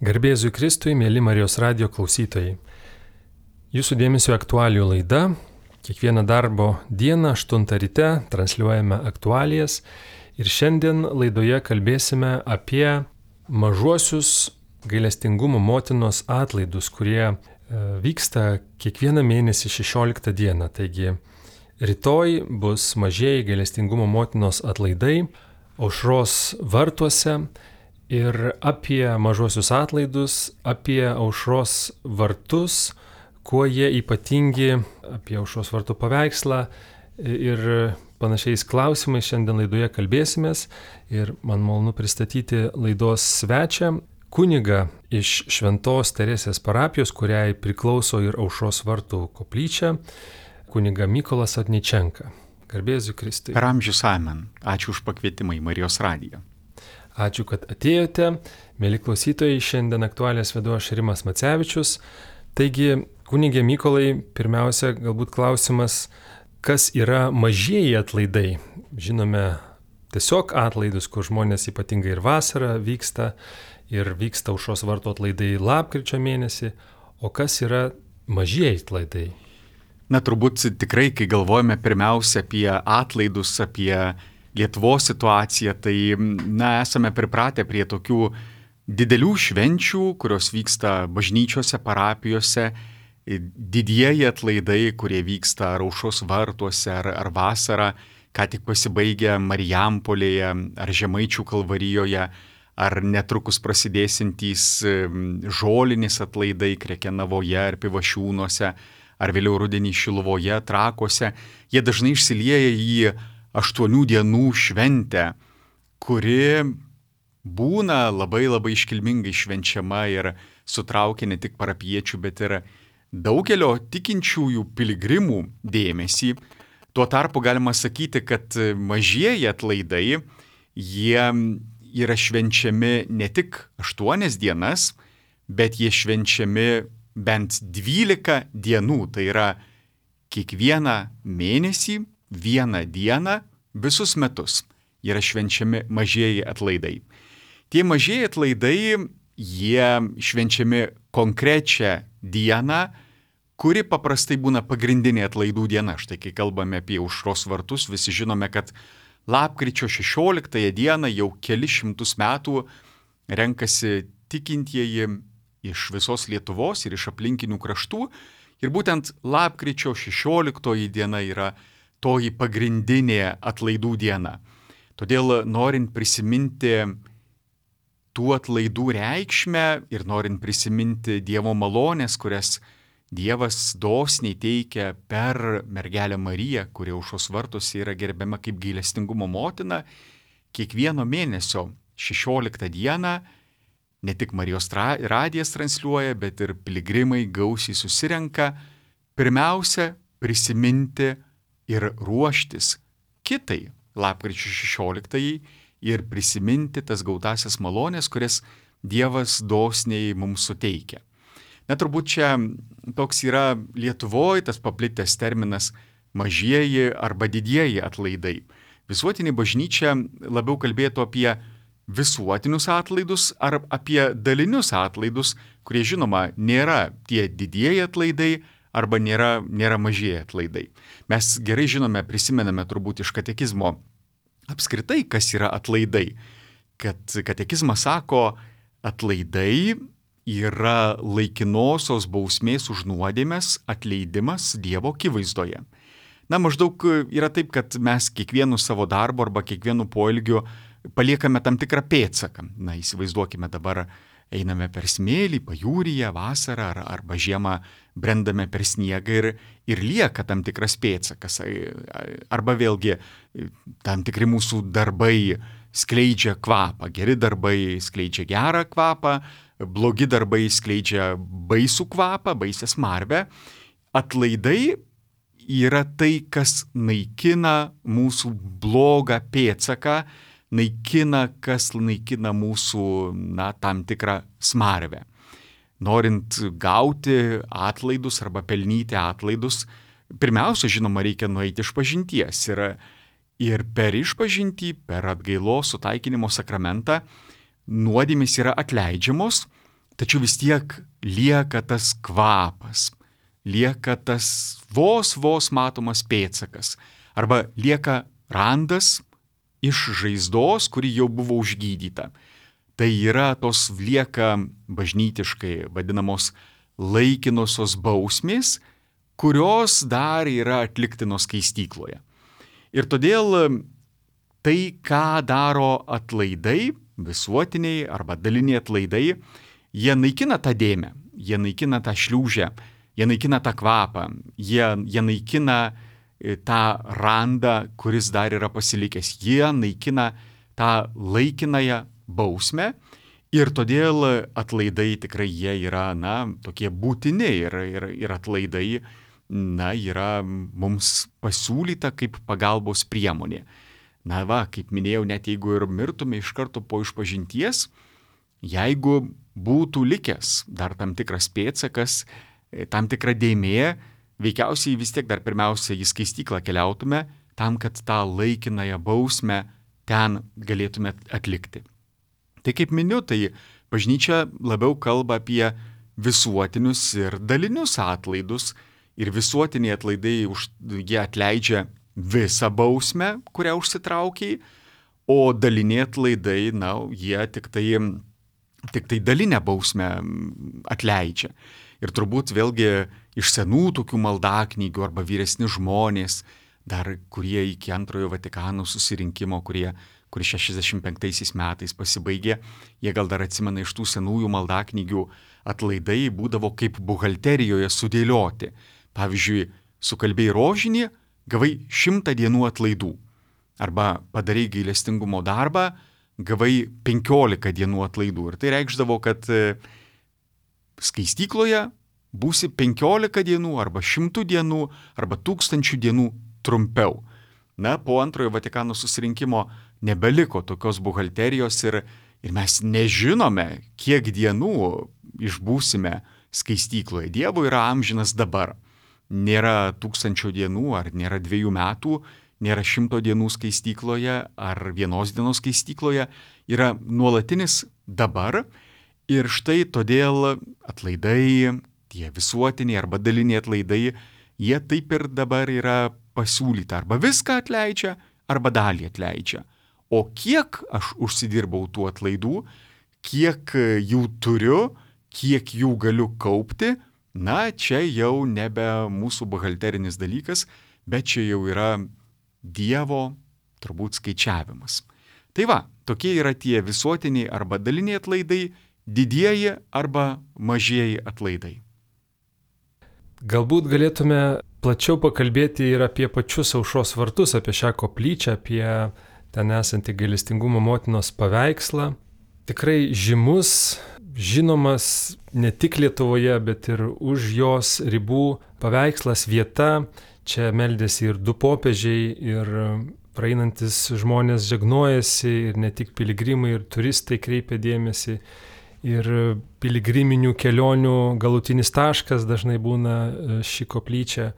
Garbėzui Kristui, mėly Marijos radijo klausytojai. Jūsų dėmesio aktualijų laida. Kiekvieną darbo dieną 8 ryte transliuojame aktualijas ir šiandien laidoje kalbėsime apie mažuosius gailestingumo motinos atlaidus, kurie vyksta kiekvieną mėnesį 16 dieną. Taigi rytoj bus mažieji gailestingumo motinos atlaidai Aušros vartuose. Ir apie mažuosius atlaidus, apie Aušros vartus, kuo jie ypatingi, apie Aušros vartų paveikslą ir panašiais klausimais šiandien laidoje kalbėsimės. Ir man malonu pristatyti laidos svečią, kunigą iš Šventos Teresės parapijos, kuriai priklauso ir Aušros vartų koplyčia, kunigą Mykolą Sotničenką. Garbėzui Kristui. Per amžius amen. Ačiū už pakvietimą į Marijos radiją. Ačiū, kad atėjote. Mėly klausytojai, šiandien aktualijas vedu aš Rimas Macevičius. Taigi, kunigė Mykolai, pirmiausia, galbūt klausimas, kas yra mažieji atlaidai? Žinome tiesiog atlaidus, kur žmonės ypatingai ir vasarą vyksta Aušros vartų atlaidai lapkričio mėnesį. O kas yra mažieji atlaidai? Na, turbūt tikrai, kai galvojame pirmiausia apie atlaidus, apie Lietuvos situaciją, tai esame pripratę prie tokių didelių švenčių, kurios vyksta bažnyčiose, parapijose, didieji atlaidai, kurie vyksta ar Aušros vartuose, ar vasarą, ką tik pasibaigę Marijampolėje, ar Žemaičių Kalvarijoje, ar netrukus prasidėsintys žolinis atlaidai Krekenavoje ar Pivašiūnuose, ar vėliau rudenį Šiluvoje, Trakuose. Jie dažnai išsilieja į 8 dienų šventę, kuri būna labai iškilmingai švenčiama ir sutraukia ne tik parapiečių, bet ir daugelio tikinčiųjų piligrimų dėmesį. Tuo tarpu galima sakyti, kad mažieji atlaidai, jie yra švenčiami ne tik 8 dienas, bet jie švenčiami bent 12 dienų, tai yra kiekvieną mėnesį, vieną dieną, visus metus yra švenčiami mažieji atlaidai. Tie mažieji atlaidai, jie švenčiami konkrečią dieną, kuri paprastai būna pagrindinė atlaidų diena. Štai kai kalbame apie Aušros vartus, visi žinome, kad lapkričio 16 dieną jau kelis šimtus metų renkasi tikintieji iš visos Lietuvos ir iš aplinkinių kraštų. Ir būtent lapkričio 16 diena yra toji pagrindinė atlaidų diena. Todėl norint prisiminti tų atlaidų reikšmę ir norint prisiminti Dievo malonės, kurias Dievas dosniai teikia per mergelę Mariją, kuri Aušros vartuose yra gerbiama kaip gailestingumo motina, kiekvieno mėnesio 16 dieną ne tik Marijos radijas transliuoja, bet ir piligrimai gausiai susirenka pirmiausia prisiminti ir ruoštis kitai lapkričio 16 ir prisiminti tas gautasias malonės, kurias Dievas dosniai mums suteikia. Na, turbūt čia toks yra Lietuvoje tas paplitęs terminas mažieji arba didieji atlaidai. Visuotinė bažnyčia labiau kalbėtų apie visuotinius atlaidus ar apie dalinius atlaidus, kurie žinoma nėra tie didieji atlaidai, arba nėra mažieji atlaidai. Mes gerai žinome, prisimename turbūt iš katekizmo apskritai, kas yra atlaidai. Kad katekizmas sako, atlaidai yra laikinosios bausmės už nuodėmes atleidimas Dievo akivaizdoje. Na, maždaug yra taip, kad mes kiekvienu savo darbu arba kiekvienu poelgiu paliekame tam tikrą pėdsaką. Na, įsivaizduokime dabar, einame per smėlį, pajūryje, vasarą arba žiemą brendame per sniegą ir lieka tam tikras pėdsakas. Arba vėlgi tam tikri mūsų darbai skleidžia kvapą. Geri darbai skleidžia gerą kvapą, blogi darbai skleidžia baisų kvapą, baisę smarvę. Atlaidai yra tai, kas naikina mūsų blogą pėdsaką, kas naikina mūsų, tam tikrą smarvę. Norint gauti atlaidus arba pelnyti atlaidus, pirmiausia, žinoma, reikia nueiti išpažinties. Ir per išpažintį, per atgailos sutaikinimo sakramentą nuodėmės yra atleidžiamos, tačiau vis tiek lieka tas kvapas, lieka tas vos matomas pėdsakas, arba lieka randas iš žaizdos, kuri jau buvo užgydyta. Tai yra tos lieka bažnytiškai vadinamos laikinosios bausmės, kurios dar yra atliktinos skaistykloje. Ir todėl tai, ką daro atlaidai, visuotiniai arba daliniai atlaidai, jie naikina tą dėmę, jie naikina tą šliūžę, jie naikina tą kvapą, jie naikina tą randą, kuris dar yra pasilikęs, jie naikina tą laikinąją bausmę ir todėl atlaidai tikrai jie yra, tokie būtini ir atlaidai, yra mums pasiūlyta kaip pagalbos priemonė. Kaip minėjau, net jeigu ir mirtume iš karto po išpažinties, jeigu būtų likęs dar tam tikras pėdsakas, tam tikra dėmė, veikiausiai vis tiek dar pirmiausia į skaistyklą keliautume, tam, kad tą laikinąją bausmę ten galėtume atlikti. Tai kaip miniu, tai bažnyčia labiau kalba apie visuotinius ir dalinius atlaidus, ir visuotiniai atlaidai jie atleidžia visą bausmę, kurią užsitraukiai, o daliniai atlaidai, jie tik tai dalinę bausmę atleidžia. Ir turbūt vėlgi iš senų tokių maldaknygių arba vyresni žmonės, dar kurie iki Antrojo Vatikano susirinkimo, kuris 65 metais pasibaigė, jie gal dar atsimena iš tų senųjų maldaknygių atlaidai būdavo kaip buhalterijoje sudėlioti. Pavyzdžiui, sukalbėjai rožinį, gavai 100 dienų atlaidų. Arba padarei gailestingumo darbą, gavai 15 dienų atlaidų. Ir tai reikšdavo, kad skaistykloje būsi 15 dienų, arba 100 dienų, arba 1000 dienų trumpiau. Po Antrojo Vatikano susirinkimo nebeliko tokios buhalterijos ir mes nežinome, kiek dienų išbūsime skaistykloje. Dievo yra amžinas dabar. Nėra 1000 dienų, ar nėra 2 metų, nėra 100 dienų skaistykloje, ar 1 dienos skaistykloje. Yra nuolatinis dabar. Ir štai todėl atlaidai, tie visuotiniai arba daliniai atlaidai, jie taip ir dabar yra pasiūlyta. Arba viską atleidžia, arba dalį atleidžia. O kiek aš užsidirbau tų atlaidų, kiek jų turiu, kiek jų galiu kaupti, čia jau nebe mūsų buhalterinis dalykas, bet čia jau yra Dievo turbūt skaičiavimas. Tai tokie yra tie visuotiniai arba daliniai atlaidai, didieji arba mažieji atlaidai. Galbūt galėtume plačiau pakalbėti ir apie pačius Aušros vartus, apie šią koplyčią, apie ten esantį gailestingumo motinos paveikslą. Tikrai žymus, žinomas ne tik Lietuvoje, bet ir už jos ribų paveikslas, vieta. Čia meldėsi ir 2 popiežiai, ir praeinantis žmonės žegnojasi, ir ne tik piligrimai, ir turistai kreipia dėmesį. Ir piligriminių kelionių galutinis taškas dažnai būna ši koplyčia.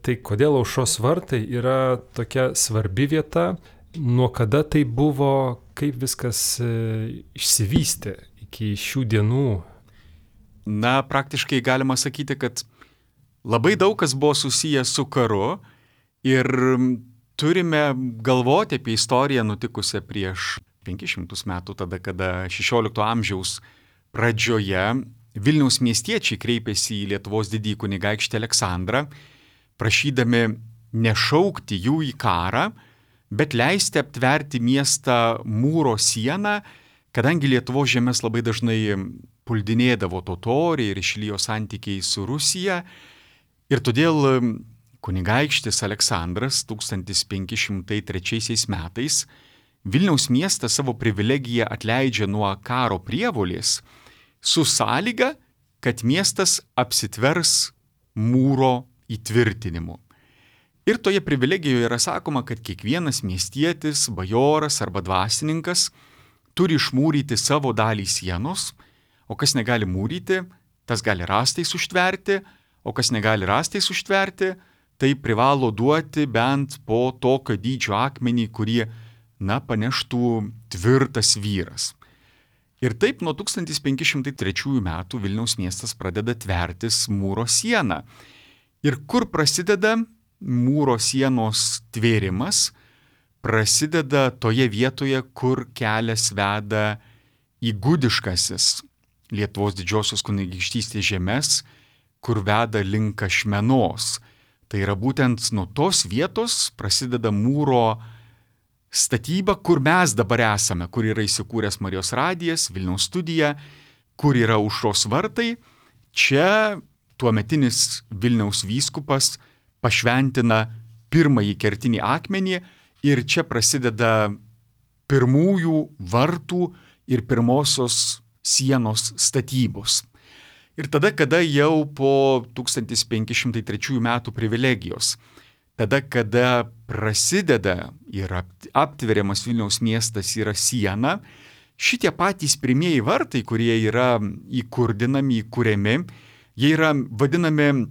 Tai kodėl Aušros vartai yra tokia svarbi vieta, nuo kada tai buvo, kaip viskas išsivystė iki šių dienų? Praktiškai galima sakyti, kad labai daug kas buvo susijęs su karu ir turime galvoti apie istoriją nutikusią prieš 500 metų, tada, kada 16 amžiaus pradžioje Vilniaus miestiečiai kreipėsi į Lietuvos didįjį kunigaikštį Aleksandrą, prašydami nešaukti jų į karą, bet leisti aptverti miestą mūro sieną, kadangi Lietuvos žemės labai dažnai puldinėdavo totoriai ir išlijo santykiai su Rusija. Ir todėl kunigaikštis Aleksandras 1503 metais Vilniaus miestą savo privilegiją atleidžia nuo karo prievolės su sąlyga, kad miestas apsitvers mūro įtvirtinimu. Ir toje privilegijoje yra sakoma, kad kiekvienas miestietis, bajoras arba dvasininkas turi išmūryti savo dalį sienos, o kas negali mūryti, tas gali rąstais užtverti, o kas negali rąstais užtverti, tai privalo duoti bent po tokio dydžio akmenį, kurį, paneštų tvirtas vyras. Ir taip nuo 1503 metų Vilniaus miestas pradeda tvertis mūro sieną. Ir kur prasideda mūro sienos tvėrimas? Prasideda toje vietoje, kur kelias veda į gudiškasis Lietuvos didžiosios kunigaikštystės žemes, kur veda link Ašmenos. Tai yra būtent nuo tos vietos prasideda mūro statyba, kur mes dabar esame, kur yra įsikūręs Marijos radijas, Vilniaus studija, kur yra Aušros vartai. Čia tuometinis Vilniaus vyskupas pašventina pirmąjį kertinį akmenį ir čia prasideda pirmųjų vartų ir pirmosios sienos statybos. Ir tada, kada jau po 1503 metų privilegijos, tada, kada prasideda ir aptveriamas Vilniaus miestas yra siena, šitie patys pirmieji vartai, kurie yra įkurdinami, įkuriami, jie yra vadinami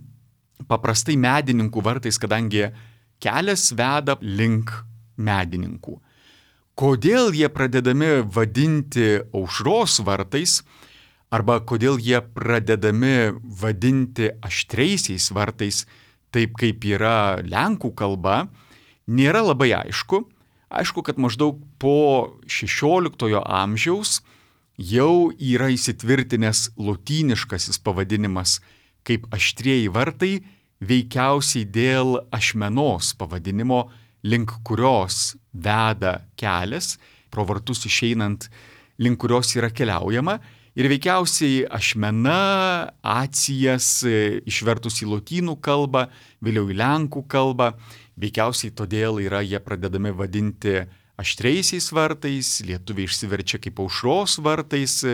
paprastai medininkų vartais, kadangi kelias veda link medininkų. Kodėl jie pradedami vadinti Aušros vartais, arba kodėl jie pradedami vadinti aštriaisiais vartais, taip kaip yra lenkų kalba, nėra labai aišku. Aišku, kad maždaug po 16 amžiaus jau yra įsitvirtinęs lotyniškasis pavadinimas kaip aštrieji vartai, veikiausiai dėl Ašmenos pavadinimo, link kurios veda kelias, pro vartus išeinant, link kurios yra keliaujama. Ir veikiausiai Ašmena, Acijas išvertus į lotynų kalbą, vėliau į lenkų kalbą, veikiausiai todėl yra jie pradedami vadinti aštriaisiais vartais, lietuviai išsiverčia kaip Aušros vartais,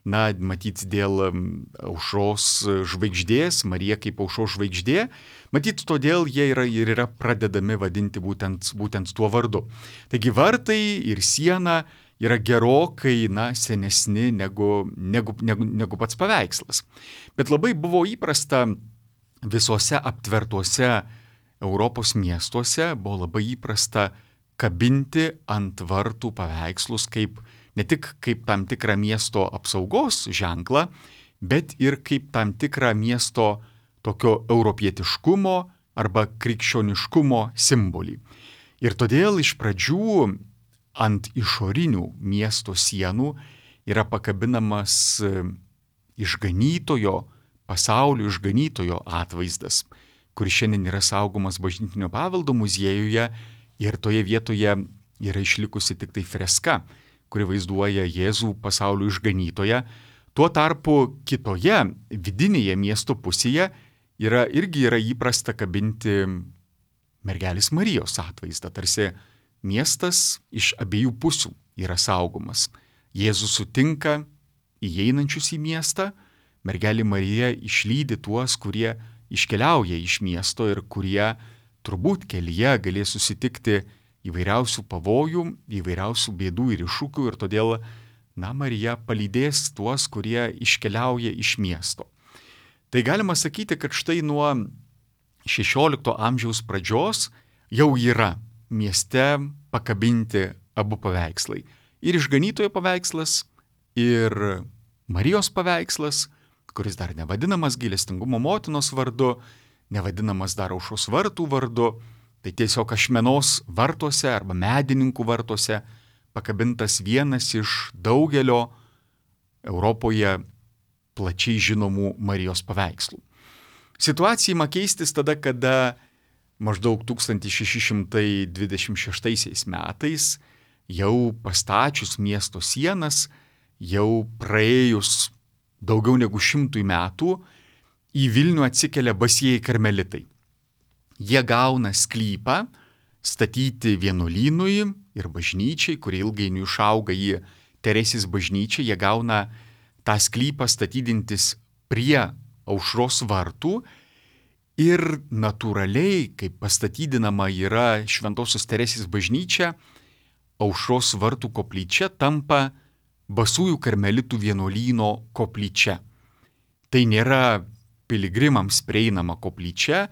matyt dėl Aušros žvaigždės, Marija kaip Aušros žvaigždė, matyt todėl jie yra pradedami vadinti būtent tuo vardu. Taigi vartai ir siena yra gerokai senesni negu pats paveikslas. Bet labai buvo įprasta visose aptvertuose Europos miestuose, buvo labai įprasta kabinti ant vartų paveikslus ne tik kaip tam tikrą miesto apsaugos ženklą, bet ir kaip tam tikrą miesto tokio europietiškumo arba krikščioniškumo simbolį. Ir todėl iš pradžių ant išorinių miesto sienų yra pakabinamas išganytojo, pasaulio išganytojo atvaizdas, kuris šiandien yra saugomas Bažnytinio paveldo muziejuje ir toje vietoje yra išlikusi tik tai freska, kuri vaizduoja Jėzų pasaulio išganytoją. Tuo tarpu kitoje, vidinėje miesto pusėje irgi yra įprasta kabinti mergelės Marijos atvaizdą, tarsi miestas iš abiejų pusių yra saugomas. Jėzus sutinka įeinančius į miestą, mergelė Marija išlydi tuos, kurie iškeliauja iš miesto ir kurie turbūt kelyje galės susitikti įvairiausių pavojų, įvairiausių bėdų ir iššūkių ir todėl, Marija palydės tuos, kurie iškeliauja iš miesto. Tai galima sakyti, kad štai nuo 16 amžiaus pradžios jau yra mieste pakabinti abu paveikslai. Ir išganytojo paveikslas, ir Marijos paveikslas, kuris dar nevadinamas gailestingumo motinos vardu, nevadinamas dar Aušros vartų vardu, tai tiesiog Ašmenos vartuose arba medininkų vartuose pakabintas vienas iš daugelio Europoje plačiai žinomų Marijos paveikslų. Situacija ima keistis tada, kada maždaug 1626 metais, jau pastačius miesto sienas, jau praėjus daugiau negu 100 metų, į Vilnių atsikelia basieji karmelitai. Jie gauna sklypą statyti vienuolynui ir bažnyčiai, kurie ilgainiui išauga į Teresės bažnyčią. Jie gauna tą sklypą statydintis prie Aušros vartų ir natūraliai, kaip pastatydinama yra Šventosios Teresės bažnyčia, Aušros vartų koplyčia tampa basųjų karmelitų vienuolyno koplyčia. Tai nėra piligrimams prieinama koplyčia,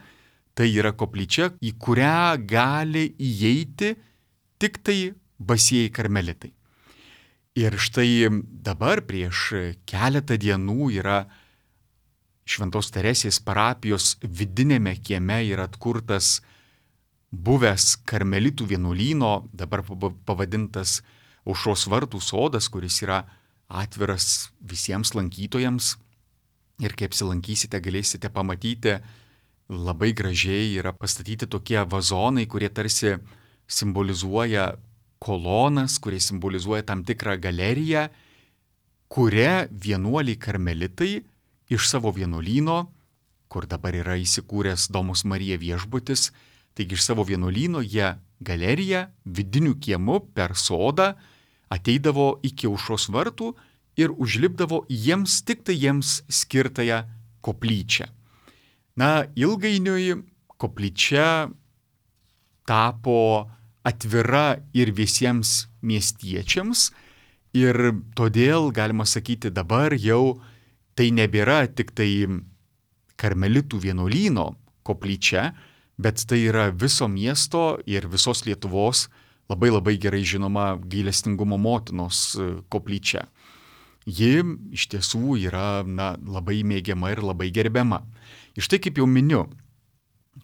tai yra koplyčia, į kurią gali įeiti tik tai basieji karmelitai. Ir štai dabar prieš keletą dienų yra Šventos Teresės parapijos vidinėme kieme yra atkurtas buvęs karmelitų vienuolyno, dabar pavadintas Aušros vartų sodas, kuris yra atviras visiems lankytojams. Ir kai apsilankysite, galėsite pamatyti, labai gražiai yra pastatyti tokie vazonai, kurie tarsi simbolizuoja kolonas, kurie simbolizuoja tam tikrą galeriją, kuria vienuoliai karmelitai iš savo vienuolyno, kur dabar yra įsikūręs Domus Marija viešbutis, taigi iš savo vienuolyno jie galeriją vidiniu kiemu per sodą ateidavo iki Aušros vartų ir užlipdavo tik tai jiems skirtąją koplyčią. Na, ilgainiui koplyčia tapo atvira ir visiems miestiečiams ir todėl, galima sakyti, dabar jau tai nebėra tik tai karmelitų vienuolyno koplyčia, bet tai yra viso miesto ir visos Lietuvos labai gerai žinoma gailestingumo motinos koplyčia. Ji iš tiesų yra labai mėgiama ir labai gerbiama. Ir štai kaip jau miniu,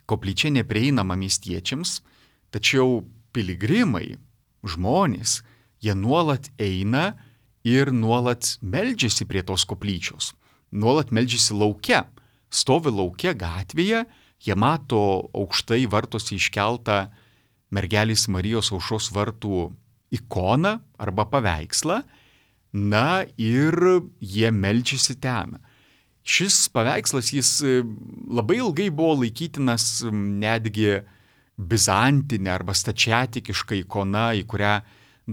koplyčia neprieinama miestiečiams, tačiau piligrimai, žmonės, jie nuolat eina ir nuolat meldžiasi prie tos koplyčios. Nuolat meldžiasi lauke, stovi lauke gatvėje, jie mato aukštai vartuose iškeltą mergelės Marijos Aušros vartų ikoną arba paveikslą, ir jie meldžiasi ten. Šis paveikslas, jis labai ilgai buvo laikytinas netgi bizantinė arba stačiatikiška ikona, į kurią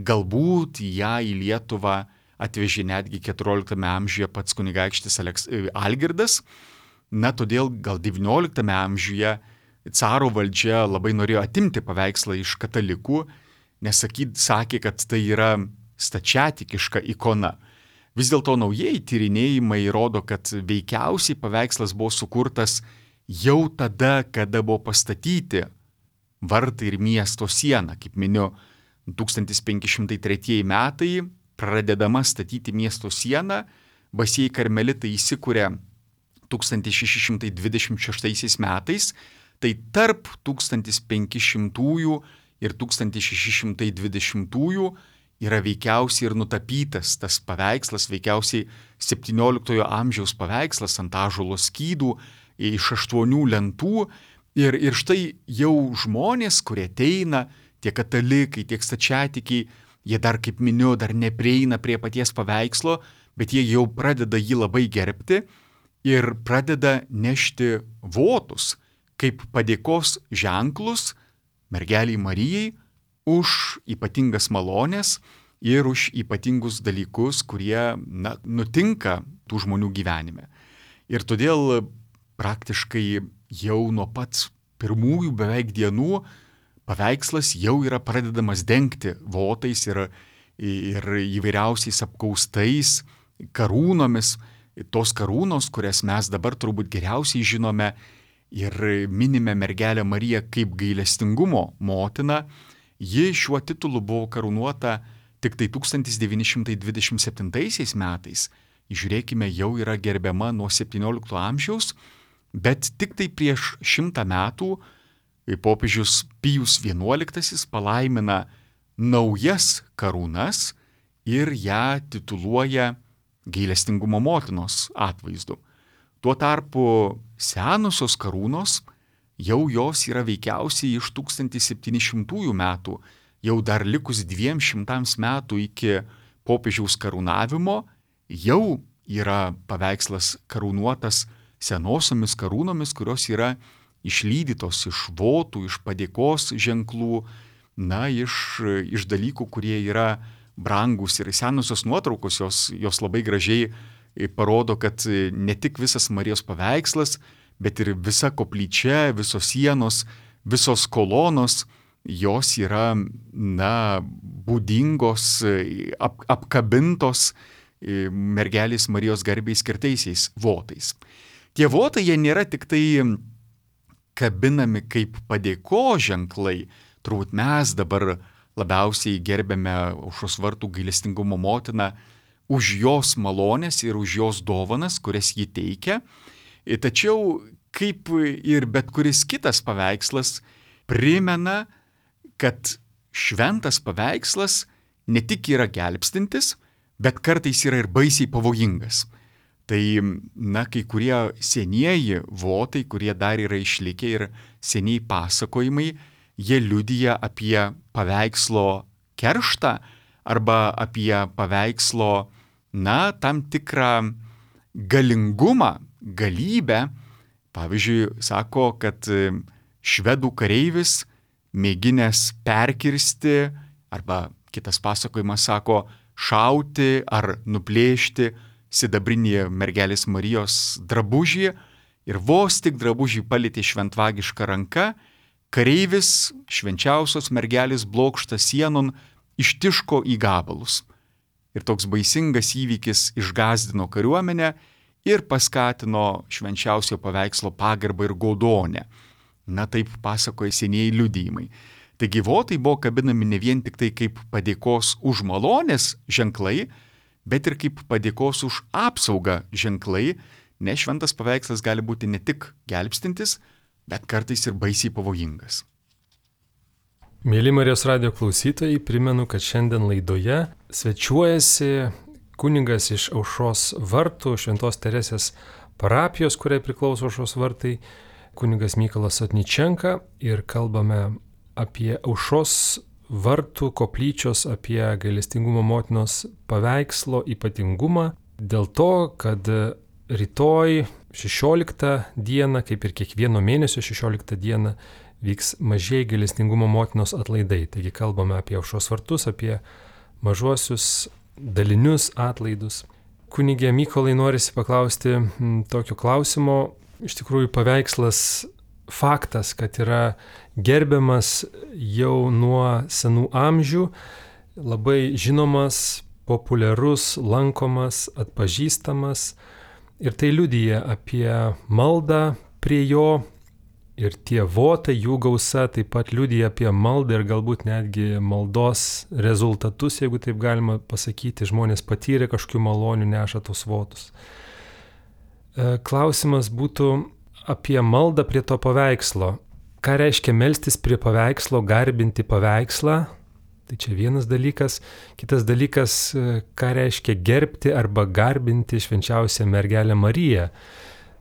galbūt ją į Lietuvą atvežė netgi 14 amžiuje pats kunigaikštis Algirdas. Todėl gal 19 amžiuje caro valdžia labai norėjo atimti paveikslą iš katalikų, nes sakė, kad tai yra stačiatikiška ikona. Vis dėlto naujieji tyrinėjimai rodo, kad veikiausiai paveikslas buvo sukurtas jau tada, kada buvo pastatyti vartai ir miesto siena. Kaip miniu, 1503 metai pradedama statyti miesto sieną, basieji karmelitai įsikūrė 1626 metais, tai tarp 1500 ir 1620 yra veikiausiai ir nutapytas tas paveikslas, veikiausiai 17 amžiaus paveikslas ant ąžuolo skydų iš 8 lentų. Ir štai jau žmonės, kurie ateina, tiek katalikai, tiek stačiatikiai, jie dar, kaip miniu, dar neprieina prie paties paveikslo, bet jie jau pradeda jį labai gerbti ir pradeda nešti votus kaip padėkos ženklus mergeliai Marijai už ypatingas malonės ir už ypatingus dalykus, kurie nutinka tų žmonių gyvenime. Ir todėl praktiškai jau nuo pat pirmųjų beveik dienų paveikslas jau yra pradedamas dengti votais ir įvairiausiais apkaustais, karūnomis. Tos karūnos, kurias mes dabar turbūt geriausiai žinome ir minime mergelę Mariją kaip gailestingumo motiną, ji šiuo titulu buvo karūnuota tik tai 1927 metais. Žiūrėkime, jau yra gerbiama nuo 17 amžiaus, bet tik tai prieš 100 metų popiežius Pijus XI palaimina naujas karūnas ir ją tituluoja gailestingumo motinos atvaizdu. Tuo tarpu senosios karūnos, jau jos yra veikiausiai iš 1700 metų, jau dar likus 200 metų iki popiežiaus karūnavimo, jau yra paveikslas karūnuotas senosiomis karūnomis, kurios yra išlydytos iš votų, iš padėkos ženklų, iš dalykų, kurie yra brangus. Ir senosios nuotraukos jos labai gražiai parodo, kad ne tik visas Marijos paveikslas, bet ir visa koplyčia, visos sienos, visos kolonos, jos yra, būdingos, apkabintos mergelės Marijos garbei skirtaisiais votais. Tie votai, jie nėra tik tai kabinami kaip padėkos ženklai. Turbūt mes dabar labiausiai gerbiame Aušros vartų gailestingumo motiną už jos malonės ir už jos dovanas, kurias ji teikia. Tačiau, kaip ir bet kuris kitas paveikslas, primena, kad šventas paveikslas ne tik yra gelbstintis, bet kartais yra ir baisiai pavojingas. Tai, kai kurie senieji votai, kurie dar yra išlikę ir seniai pasakojimai, jie liudija apie paveikslo kerštą arba apie paveikslo, tam tikrą galingumą, galybę. Pavyzdžiui, sako, kad švedų kareivis mėginęs perkirsti, arba kitas pasakojimas sako, šauti ar nuplėšti sidabrinį mergelės Marijos drabužį ir vos tik drabužį palietė šventvagiška ranka, kareivis švenčiausios mergelės blokštą sienon ištiško į gabalus. Ir toks baisingas įvykis išgąsdino kariuomenę ir paskatino švenčiausio paveikslo pagarbą ir godonę. Taip pasakoja senieji liudijimai. Taigi votai buvo kabinami ne vien tik tai kaip padėkos už malonės ženklai, bet ir kaip padėkos už apsaugą ženklai, nes šventas paveikslas gali būti ne tik gelbstintis, bet kartais ir baisiai pavojingas. Mėly Marijos radijo klausytojai, primenu, kad šiandien laidoje svečiuojasi kunigas iš Aušros vartų, Šventos Teresės parapijos, kuriai priklauso Aušros vartai, kunigas Mykolas Sotničenka, ir kalbame apie Aušros vartų koplyčios, apie gailestingumo motinos paveikslo ypatingumą, dėl to, kad rytoj 16 dieną, kaip ir kiekvieno mėnesio 16 dieną, vyks mažieji gailestingumo motinos atlaidai. Taigi kalbame apie Aušros vartus, apie mažuosius dalinius atlaidus. Kunigė Mykolai, norisi paklausti tokio klausimo. Iš tikrųjų, paveikslas faktas, kad yra gerbiamas jau nuo senų amžių, labai žinomas, populiarus, lankomas, atpažįstamas. Ir tai liudija apie maldą prie jo. Ir tie votai, jų gausa taip pat liudija apie maldą ir galbūt netgi maldos rezultatus, jeigu taip galima pasakyti, žmonės patyrė kažkokių malonių, neša tos votus. Klausimas būtų apie maldą prie to paveikslo. Ką reiškia melstis prie paveikslo, garbinti paveikslą? Tai čia vienas dalykas. Kitas dalykas, ką reiškia gerbti arba garbinti švenčiausią mergelę Mariją.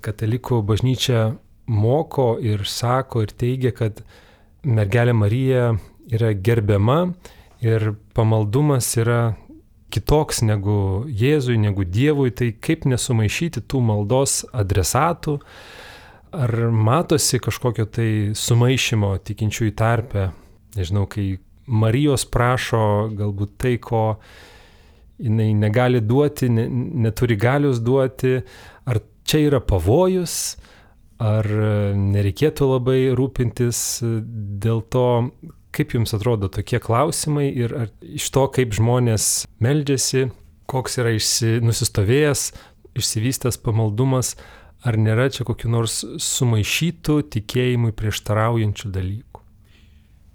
Katalikų bažnyčia moko ir sako ir teigia, kad mergelė Marija yra gerbiama ir pamaldumas yra kitoks negu Jėzui, negu Dievui. Tai kaip nesumaišyti tų maldos adresatų? Ar matosi kažkokio tai sumaišymo tikinčiųjų tarpe? Nežinau, kai Marijos prašo galbūt tai, ko jinai negali duoti, neturi galios duoti. Ar čia yra pavojus? Ar nereikėtų labai rūpintis dėl to, kaip jums atrodo tokie klausimai ir ar iš to, kaip žmonės meldžiasi, koks yra nusistovėjęs, išsivystęs pamaldumas, ar nėra čia kokių nors sumaišytų tikėjimui prieštaraujančių dalykų?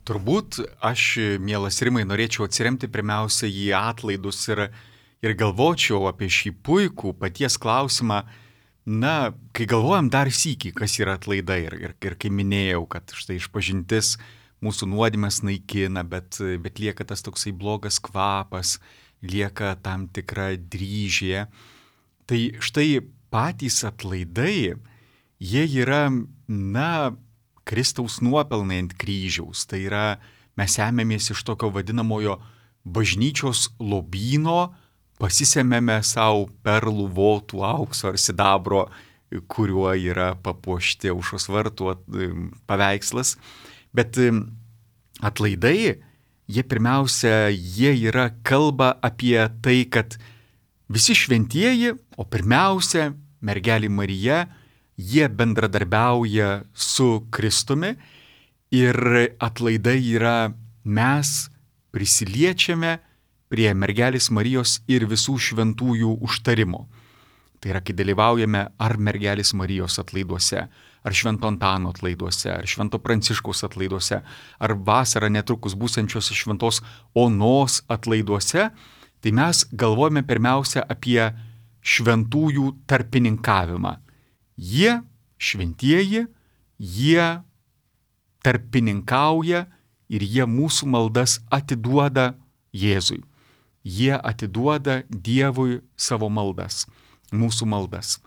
Turbūt aš, mielas Rimai, norėčiau atsiremti pirmiausia į atlaidus ir galvočiau apie šį puikų paties klausimą. Kai galvojam dar sykį, kas yra atlaidai ir kai minėjau, kad štai išpažintis mūsų nuodėmes naikina, bet lieka tas toksai blogas kvapas, lieka tam tikra dryžė. Tai štai patys atlaidai, jie yra, Kristaus nuopelnai ant kryžiaus. Tai yra, mes ėmėmės iš tokio vadinamojo bažnyčios lobyno, pasisėmėme savo perlų, votų, aukso ar sidabro, kuriuo yra papuošti Aušros vartų paveikslas. Bet atlaidai, jie pirmiausia, jie yra kalba apie tai, kad visi šventieji, o pirmiausia, mergelė Marija, jie bendradarbiauja su Kristumi ir atlaidai yra mes prisiliečiame prie mergelės Marijos ir visų šventųjų užtarimo. Tai yra, kai dalyvaujame ar mergelės Marijos atlaiduose, ar Švento Antano atlaiduose, ar Švento Pranciškaus atlaiduose, ar vasarą netrukus būsiančios Šventos Onos atlaiduose, tai mes galvojame pirmiausia apie šventųjų tarpininkavimą. Jie, šventieji, jie tarpininkauja ir jie mūsų maldas atiduoda Jėzui. Jie atiduoda Dievui savo maldas, mūsų maldas.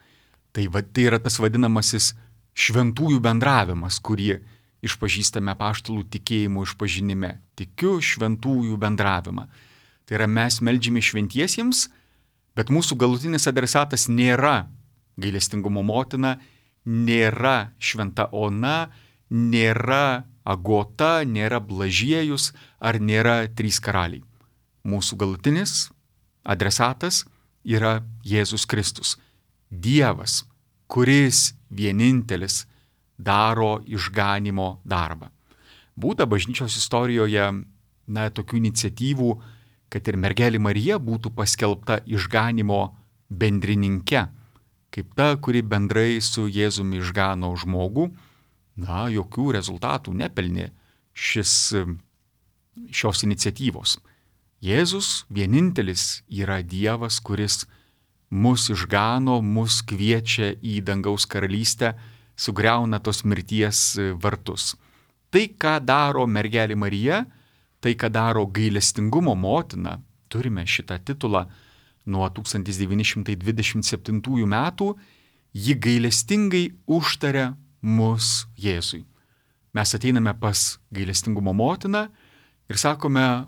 Tai yra tas vadinamasis šventųjų bendravimas, kurį išpažįstame apaštalų tikėjimo išpažinime. Tikiu šventųjų bendravimą. Tai yra, mes meldžiame šventiesiems, bet mūsų galutinis adresatas nėra gailestingumo motina, nėra šventa Ona, nėra Agota, nėra Blažiejus ar nėra trys karaliai. Mūsų galutinis adresatas yra Jėzus Kristus. Dievas, kuris vienintelis daro išganimo darbą. Būta bažnyčios istorijoje tokių iniciatyvų, kad ir mergelė Marija būtų paskelbta išganimo bendrininke, kaip ta, kuri bendrai su Jėzumi išgano žmogų. Jokių rezultatų nepelnė šios iniciatyvos. Jėzus vienintelis yra Dievas, kuris mus išgano, mus kviečia į dangaus karalystę, sugriauna tos mirties vartus. Tai, ką daro mergelė Marija, tai, ką daro gailestingumo motina, turime šitą titulą nuo 1927 metų, ji gailestingai užtaria mus Jėzui. Mes ateiname pas gailestingumo motiną ir sakome,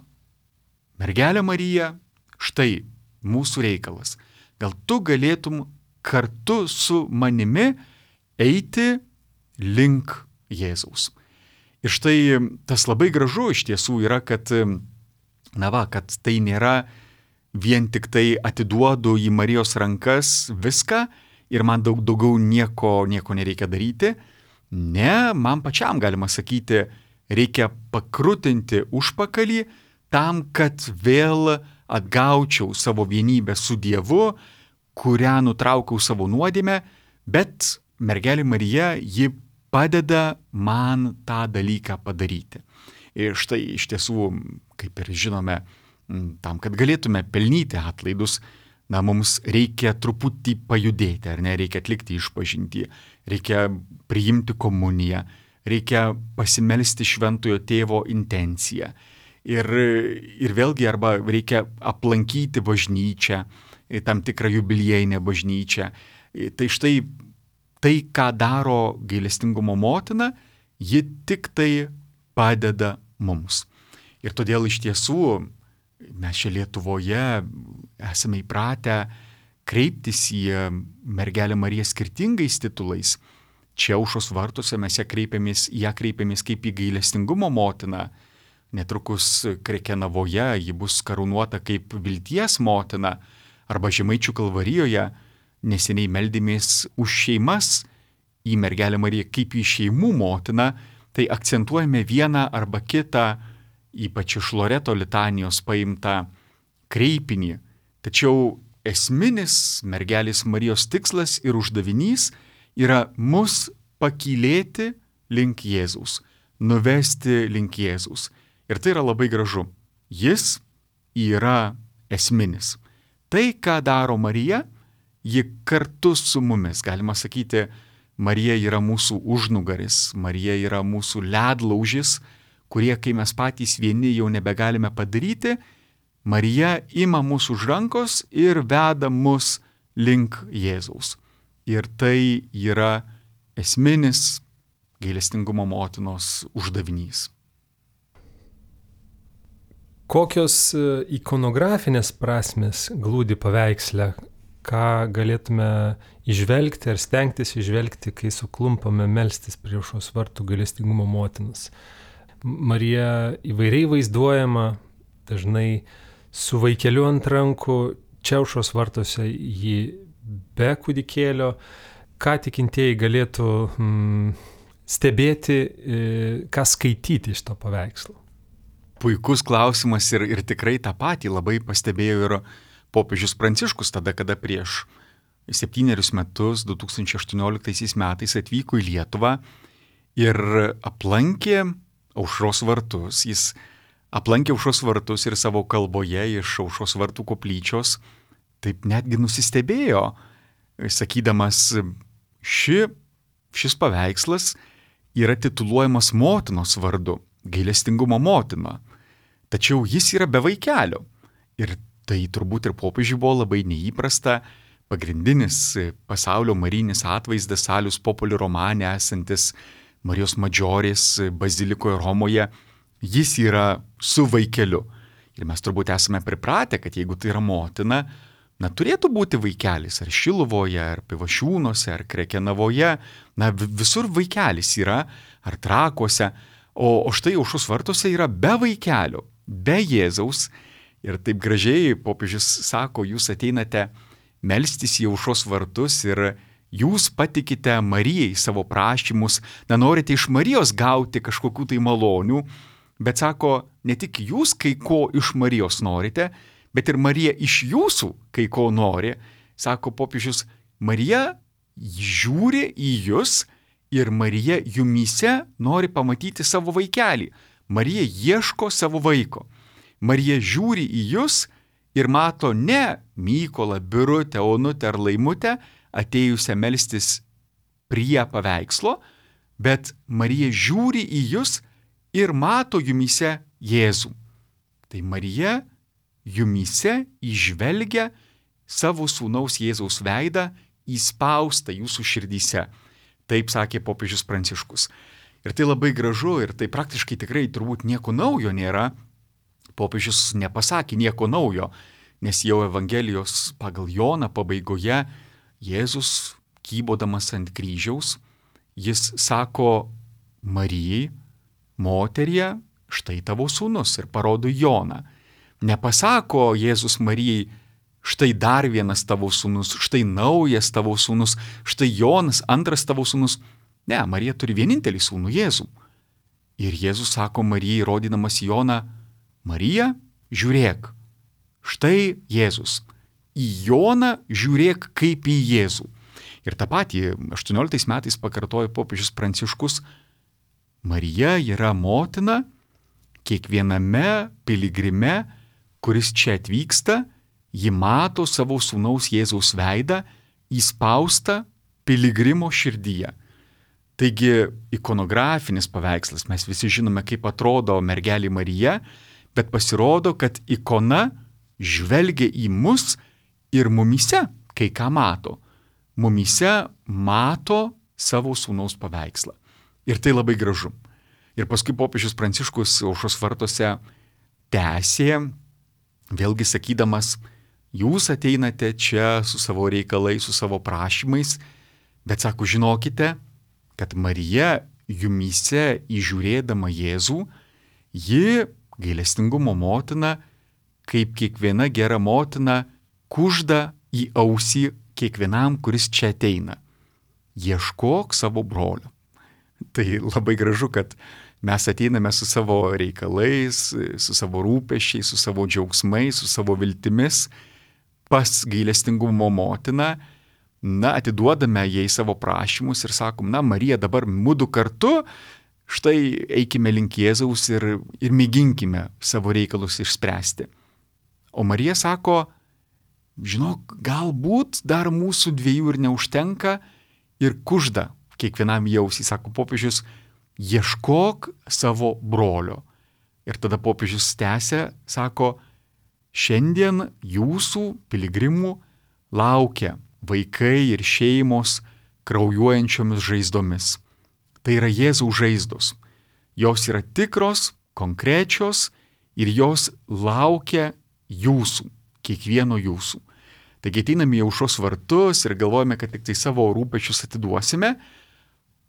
mergelė Marija, štai mūsų reikalas. Gal tu galėtum kartu su manimi eiti link Jėzaus. Ir štai tas labai gražu iš tiesų yra, kad tai nėra vien tik tai atiduodu į Marijos rankas viską ir man daugiau nieko nereikia daryti. Ne, man pačiam galima sakyti, reikia pakrutinti užpakalį tam, kad vėl atgaučiau savo vienybę su Dievu, kurią nutraukiau savo nuodėmę, bet mergelė Marija, ji padeda man tą dalyką padaryti. Ir štai iš tiesų, kaip ir žinome, tam, kad galėtume pelnyti atlaidus, mums reikia truputį pajudėti, ar ne, reikia atlikti išpažintį, reikia priimti komuniją, reikia pasimelsti šventojo tėvo intenciją. Ir vėlgi, arba reikia aplankyti bažnyčią, tam tikrą jubiliejinę bažnyčią. Tai štai tai, ką daro gailestingumo motina, ji tik tai padeda mums. Ir todėl iš tiesų mes čia Lietuvoje esame įpratę kreiptis į mergelę Mariją skirtingais titulais. Čia Aušros vartuose mes ją kreipiamės kaip į gailestingumo motiną. Netrukus Krekenavoje ji bus karūnuota kaip vilties motina, arba Žemaičių Kalvarijoje neseniai meldėmės už šeimas į mergelę Mariją kaip į šeimų motiną, tai akcentuojame vieną arba kitą, ypač iš Loreto litanijos paimtą kreipinį. Tačiau esminis mergelės Marijos tikslas ir uždavinys yra mus pakylėti link Jėzaus, nuvesti link Jėzaus. Ir tai yra labai gražu. Jis yra esminis. Tai, ką daro Marija, ji kartu su mumis. Galima sakyti, Marija yra mūsų užnugaris, Marija yra mūsų ledlaužis, kurie, kai mes patys vieni jau nebegalime padaryti, Marija ima mūsų už rankos ir veda mus link Jėzaus. Ir tai yra esminis gailestingumo motinos uždavinys. Kokios ikonografinės prasmės glūdi paveiksle, ką galėtume įžvelgti ar stengtis įžvelgti, kai suklumpame melstis prie Aušros vartų gailestingumo motinos. Marija įvairiai vaizduojama, dažnai su vaikeliu ant rankų, čia Aušros vartuose ji be kūdikėlio. Ką tikintieji galėtų stebėti, ką skaityti iš to paveikslo? Puikus klausimas ir tikrai tą patį labai pastebėjo ir popiežius Pranciškus tada, kada prieš 7 metus 2018 metais atvyko į Lietuvą ir aplankė Aušros vartus. Jis aplankė Aušros vartus ir savo kalboje iš Aušros vartų koplyčios taip netgi nusistebėjo, sakydamas, šis paveikslas yra tituluojamas motinos vardu, gailestingumo motina. Tačiau jis yra be vaikelio. Ir tai turbūt ir popiežiui buvo labai neįprasta. Pagrindinis pasaulio marijinis atvaizdas Salus Populi romane esantis Marijos Madžorės bazilikoje Romoje, jis yra su vaikeliu. Ir mes turbūt esame pripratę, kad jeigu tai yra motina, turėtų būti vaikelis ar Šiluvoje, ar Pivašiūnuose, ar Krekenavoje, visur vaikelis yra, ar Trakuose, o štai Aušros vartuose yra be vaikelio, be Jėzaus. Ir taip gražiai popiežius sako, jūs ateinate melstis į Aušros vartus ir jūs patikite Marijai savo prašymus, norite iš Marijos gauti kažkokių tai malonių, bet sako, ne tik jūs kai ko iš Marijos norite, bet ir Marija iš jūsų kai ko nori. Sako popiežius, Marija žiūri į jūs ir Marija jumyse nori pamatyti savo vaikelį. Marija ieško savo vaiko. Marija žiūri į jūs ir mato ne Mykolą, Birutę, Onutę ar Laimutę atėjusią melstis prie paveikslo, bet Marija žiūri į jūs ir mato jumyse Jėzų. Tai Marija jumyse įžvelgia savo sūnaus Jėzaus veidą įspaustą jūsų širdyse. Taip sakė popiežius Pranciškus. Ir tai labai gražu ir tai praktiškai tikrai turbūt nieko naujo nėra. Popiežius nepasakė nieko naujo, nes jau Evangelijos pagal Joną pabaigoje Jėzus, kybodamas ant kryžiaus, jis sako Marijai, moterie, štai tavo sūnus ir parodo Joną. Nepasako Jėzus Marijai, štai dar vienas tavo sūnus, štai naujas tavo sūnus, štai Jonas, antras tavo sūnus. Ne, Marija turi vienintelį sūnų Jėzų. Ir Jėzus sako Marijai, rodydamas Joną, Marija, žiūrėk, štai Jėzus. Į Joną žiūrėk kaip į Jėzų. Ir tą patį 18 metais pakartojo popiežius Pranciškus. Marija yra motina kiekviename piligrime, kuris čia atvyksta, ji mato savo sūnaus Jėzaus veidą įspaustą piligrimo širdyje. Taigi ikonografinis paveikslas, mes visi žinome, kaip atrodo mergelė Marija, bet pasirodo, kad ikona žvelgia į mus ir mumyse kai ką mato. Mumyse mato savo sūnaus paveikslą. Ir tai labai gražu. Ir paskui popiežius Pranciškus Aušros vartuose tęsė, vėlgi sakydamas, jūs ateinate čia su savo reikalais, su savo prašymais, bet sako, žinokite, kad Marija jumyse įžiūrėdama Jėzų, ji gailestingumo motina, kaip kiekviena gera motina, kužda į ausį kiekvienam, kuris čia ateina. Ieškok savo brolio. Tai labai gražu, kad mes ateiname su savo reikalais, su savo rūpesčiais, su savo džiaugsmais, su savo viltimis pas gailestingumo motiną, atiduodame jai savo prašymus ir sakom, Marija, dabar mudu kartu, štai eikime link Jėzaus ir mėginkime savo reikalus išspręsti. O Marija sako, žinok, galbūt dar mūsų dviejų ir neužtenka ir kužda kiekvienam jausį, sako popiežius, ieškok savo brolio. Ir tada popiežius tęsia, sako, šiandien jūsų piligrimų laukia vaikai ir šeimos kraujuojančiomis žaizdomis. Tai yra Jėzaus žaizdos. Jos yra tikros, konkrečios ir jos laukia jūsų, kiekvieno jūsų. Taigi ateiname į Aušros vartus ir galvojame, kad tik tai savo rūpesčius atiduosime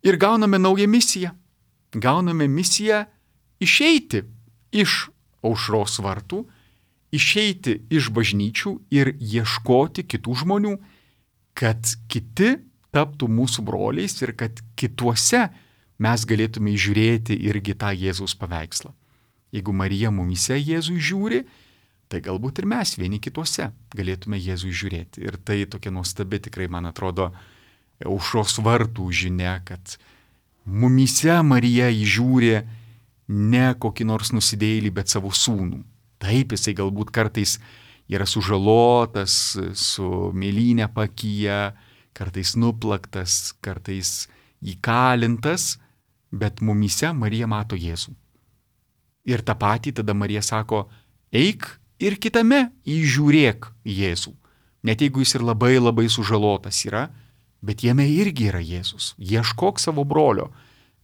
ir gauname naują misiją. Gauname misiją išeiti iš Aušros vartų, išeiti iš bažnyčių ir ieškoti kitų žmonių, kad kiti taptų mūsų broliais ir kad kituose mes galėtume įžiūrėti irgi tą Jėzaus paveikslą. Jeigu Marija mumyse Jėzų žiūri, tai galbūt ir mes vieni kituose galėtume Jėzų žiūrėti. Ir tai tokia nuostabi tikrai, man atrodo, aušros vartų žinia, kad mumyse Marija įžiūri ne kokį nors nusidėjėlį, bet savo sūnų. Taip, jisai galbūt kartais yra sužalotas, su mėlynė pakyje, kartais nuplaktas, kartais įkalintas, bet mumyse Marija mato Jėzų. Ir tą patį tada Marija sako, eik ir kitame įžiūrėk Jėzų. Net jeigu jis ir labai labai sužalotas yra, bet jame irgi yra Jėzus. Ieškok savo brolio.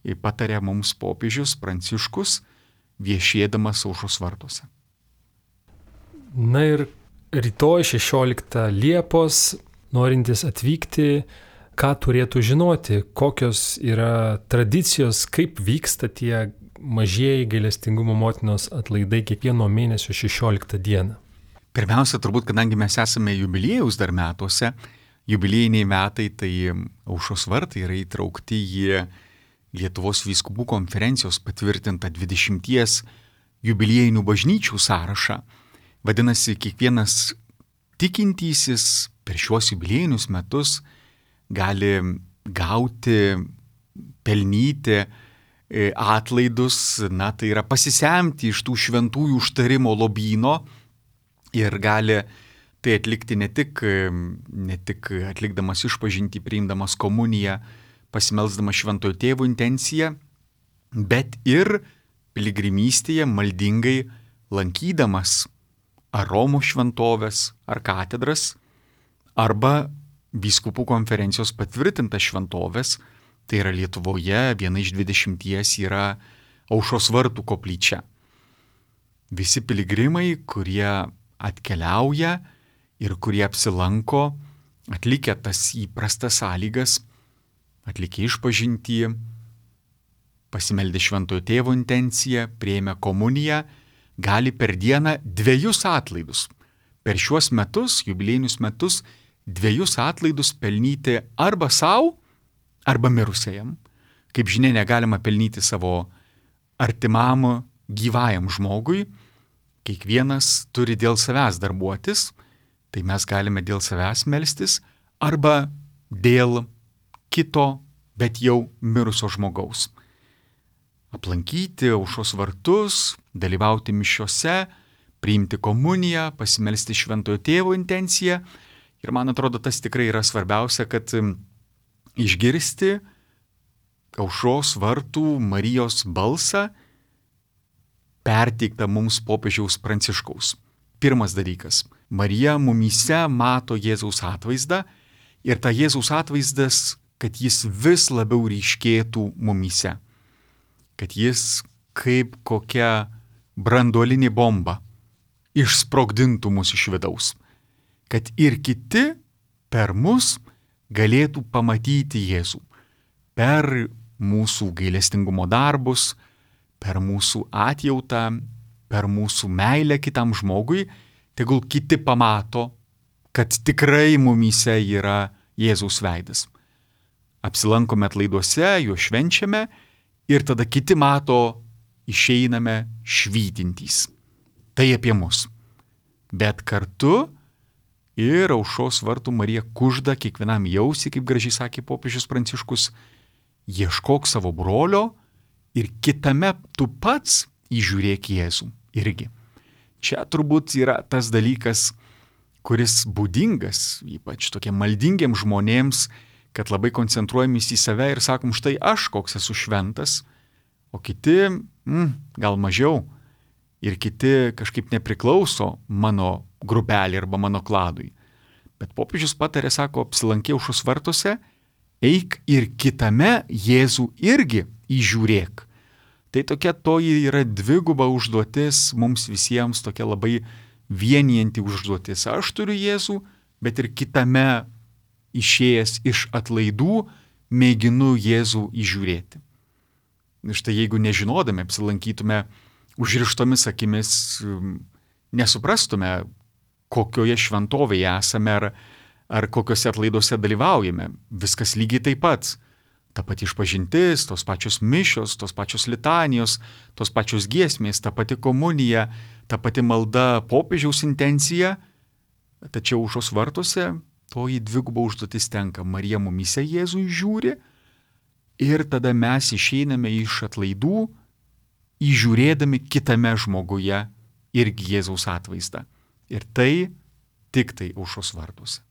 Ir patarė mums popiežius Pranciškus, viešėdamas aušros vartuose. Na ir rytoj 16 Liepos, norintys atvykti, ką turėtų žinoti, kokios yra tradicijos, kaip vyksta tie mažieji gailestingumo motinos atlaidai kiekvieno mėnesio 16 dieną. Pirmiausia, turbūt, kadangi mes esame jubiliejaus dar metuose, jubiliejiniai metai, tai aušros vartai yra įtraukti į Lietuvos vyskupų konferencijos patvirtintą 20 jubiliejinių bažnyčių sąrašą. Vadinasi, kiekvienas tikintysis per šiuos jubiliejinius metus gali gauti, pelnyti atlaidus, tai yra pasisemti iš tų šventųjų užtarimo lobyno ir gali tai atlikti ne tik atlikdamas išpažintį, priimdamas komuniją, pasimelsdamas šventojo tėvo intenciją, bet ir piligrimystėje maldingai lankydamas ar Romos šventovės, ar katedras, arba vyskupų konferencijos patvirtintas šventovės, tai yra Lietuvoje, viena iš 20 yra Aušros vartų koplyčia. Visi piligrimai, kurie atkeliauja ir kurie apsilanko, atlikę tas įprastas sąlygas, atlikę išpažintį, pasimeldė šventojo tėvo intenciją, priėmė komuniją, gali per dieną 2 atlaidus. Per šiuos metus, jubiliejinius metus, 2 atlaidus pelnyti arba savo, arba mirusiajam. Kaip žinia, negalima pelnyti savo artimam gyvajam žmogui. Kiekvienas turi dėl savęs darbuotis, tai mes galime dėl savęs melstis, arba dėl kito, bet jau mirusio žmogaus. Aplankyti aušros vartus, dalyvauti mišiose, priimti komuniją, pasimelsti šventojo tėvo intenciją. Ir man atrodo, tas tikrai yra svarbiausia, kad išgirsti aušros vartų Marijos balsą, perteiktą mums popiežiaus Pranciškaus. Pirmas dalykas. Marija mumyse mato Jėzaus atvaizdą ir ta Jėzaus atvaizdas, kad jis vis labiau ryškėtų mumyse. Kad jis kaip kokia branduolinė bomba išsprogdintų mus iš vidaus. Kad ir kiti per mus galėtų pamatyti Jėzų. Per mūsų gailestingumo darbus, per mūsų atjautą, per mūsų meilę kitam žmogui, tegul kiti pamato, kad tikrai mumyse yra Jėzaus veidas. Apsilankome atlaiduose, juos švenčiame ir tada kiti mato, išeiname švytintys. Tai apie mus. Bet kartu ir aušros vartų Marija kužda kiekvienam jausi, kaip gražiai sakė popiežius Pranciškus, ieškok savo brolio ir kitame tu pats įžiūrėk Jėzų irgi. Čia turbūt yra tas dalykas, kuris būdingas, ypač tokiem maldingiem žmonėms, kad labai koncentruojamės į save ir sakom, štai aš koks esu šventas, o kiti gal mažiau ir kiti kažkaip nepriklauso mano grupelį arba mano kladui. Bet popiežius patarė, sako, apsilankė aušros vartuose, eik ir kitame Jėzų irgi įžiūrėk. Tai tokia toji yra dviguba užduotis mums visiems, tokia labai vienijanti užduotis. Aš turiu Jėzų, bet ir kitame išėjęs iš atlaidų mėginu Jėzų įžiūrėti. Štai jeigu nežinodami apsilankytume užrištomis akimis, nesuprastume, kokioje šventovėje esame ar kokiuose atlaiduose dalyvaujame. Viskas lygiai taip pat. Ta pati išpažintis, tos pačios mišios, tos pačios litanijos, tos pačios giesmės, ta pati komunija, ta pati malda popiežiaus intencija, tačiau aušros vartuose toji dviguba užduotis tenka. Marija mumyse Jėzui žiūri ir tada mes išeiname iš atlaidų, įžiūrėdami kitame žmoguje irgi Jėzaus atvaizdą. Ir tai tik tai aušros vartuose.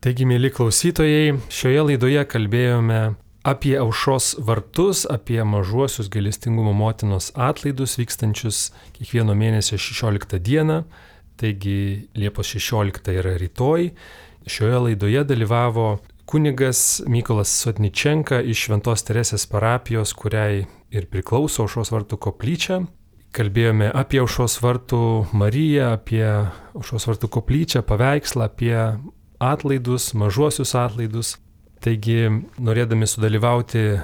Taigi, mėly klausytojai, šioje laidoje kalbėjome apie aušros vartus, apie mažuosius gailestingumo motinos atlaidus vykstančius kiekvieno mėnesio 16 dieną. Taigi Liepos 16 yra rytoj. Šioje laidoje dalyvavo kunigas Mykolas Sotničenka iš Šventos Teresės parapijos, kuriai ir priklauso aušros vartų koplyčia. Kalbėjome apie aušros vartų Mariją, apie aušros vartų koplyčią, paveikslą, apie atlaidus, mažuosius atlaidus. Taigi, norėdami sudalyvauti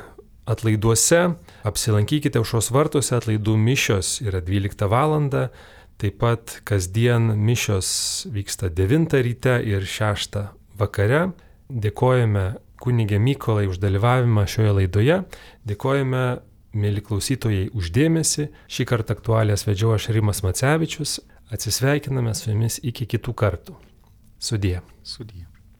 atlaiduose, apsilankykite aušros vartuose, atlaidų mišios yra 12 valandą, taip pat kasdien mišios vyksta 9 ryte ir 6 vakare. Dėkojame kunigė Mykolai už dalyvavimą šioje laidoje, dėkojame, mėly klausytojai, už dėmesį. Šį kartą aktualijas vedžiau aš Rimas Macevičius, atsisveikiname su jumis iki kitų kartų. Sudie. Sudie.